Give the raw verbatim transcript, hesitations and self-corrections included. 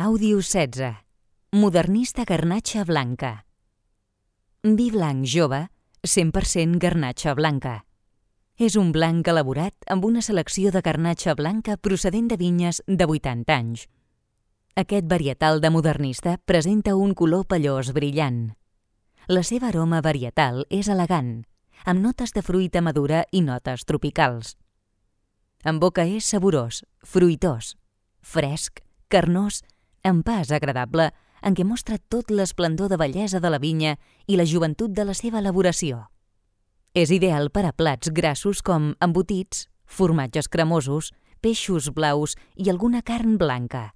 Àudio setze. Modernista garnatxa blanca. Vi blanc jove, cent per cent garnatxa blanca. És un blanc elaborat amb una selecció de garnatxa blanca procedent de vinyes de vuitanta anys. Aquest varietal de modernista presenta un color pellós brillant. La seva aroma varietal és elegant, amb notes de fruita madura i notes tropicals. En boca és saborós, fruitós, fresc, carnós, amb pas agradable en què mostra tot l'esplendor de bellesa de la vinya i la joventut de la seva elaboració. És ideal per a plats grassos com embotits, formatges cremosos, peixos blaus i alguna carn blanca.